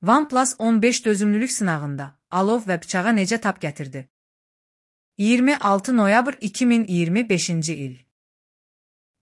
OnePlus 15 dözümlülük sınağında alov və bıçağa necə tab gətirdi? 26 noyabr 2025-ci il.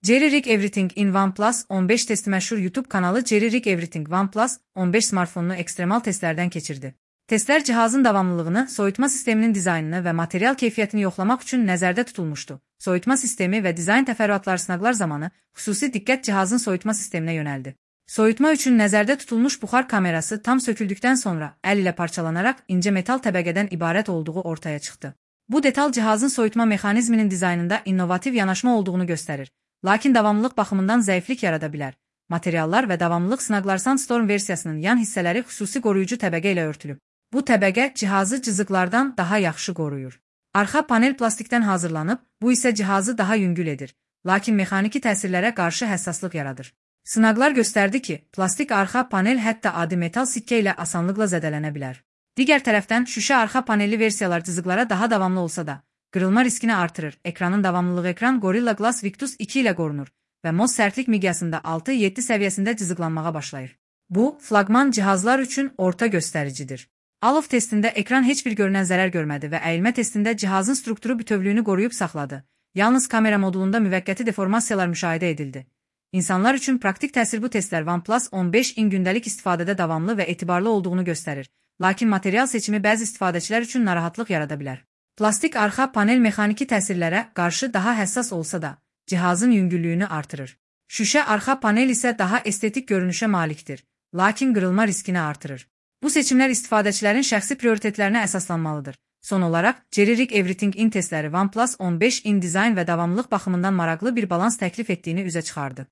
Jerry Rig Everything in OnePlus 15 testi məşhur YouTube kanalı Jerry Rig Everything OnePlus 15 smartfonunu ekstremal testlərdən keçirdi. Testlər cihazın davamlılığını, soyutma sisteminin dizaynını və material keyfiyyətini yoxlamaq üçün nəzərdə tutulmuşdu. Soyutma sistemi və dizayn təfərrüatları sınaqlar zamanı xüsusi diqqət cihazın soyutma sisteminə yönəldi. Soyutma üçün nəzərdə tutulmuş buxar kamerası tam söküldükdən sonra əl ilə parçalanaraq incə metal təbəqədən ibarət olduğu ortaya çıxdı. Bu detal cihazın soyutma mexanizminin dizaynında innovativ yanaşma olduğunu göstərir, lakin davamlılıq baxımından zəiflik yarada bilər. Materiallar və davamlılıq sınaqlar Sandstorm versiyasının yan hissələri xüsusi qoruyucu təbəqə ilə örtülüb. Bu təbəqə cihazı cızıqlardan daha yaxşı qoruyur. Arxa panel plastikdən hazırlanıb, bu isə cihazı daha yüngül edir, lakin mexaniki təsirlərə qarşı həssaslıq yaradır. Sınaqlar göstərdi ki, plastik arxa panel hətta adi metal sikkə ilə asanlıqla zədələnə bilər. Digər tərəfdən, şüşə arxa panelli versiyalar cızıqlara daha davamlı olsa da, qırılma riskini artırır. Ekranın davamlılığı ekran Gorilla Glass Victus 2 ilə qorunur və MOS sərtlik miqyasında 6-7 səviyyəsində cızıqlanmağa başlayır. Bu, flaqman cihazlar üçün orta göstəricidir. Alov testində ekran heç bir görünən zərər görmədi və əyilmə testində cihazın strukturu bütövlüyünü qoruyub saxladı. Yalnız kamera modulunda müvəqqəti deformasiyalar müşahidə edildi. İnsanlar üçün praktik təsir bu testlər OnePlus 15-in gündəlik istifadədə davamlı və etibarlı olduğunu göstərir. Lakin material seçimi bəzi istifadəçilər üçün narahatlıq yarada bilər. Plastik arxa panel mexaniki təsirlərə qarşı daha həssas olsa da, cihazın yüngüllüyünü artırır. Şüşə arxa panel isə daha estetik görünüşə malikdir, lakin qırılma riskini artırır. Bu seçimlər istifadəçilərin şəxsi prioritetlərinə əsaslanmalıdır. Son olaraq, Jerry Rig Everything-in testləri OnePlus 15-in dizayn və davamlılıq baxımından maraqlı bir balans təklif etdiyini üzə çıxardı.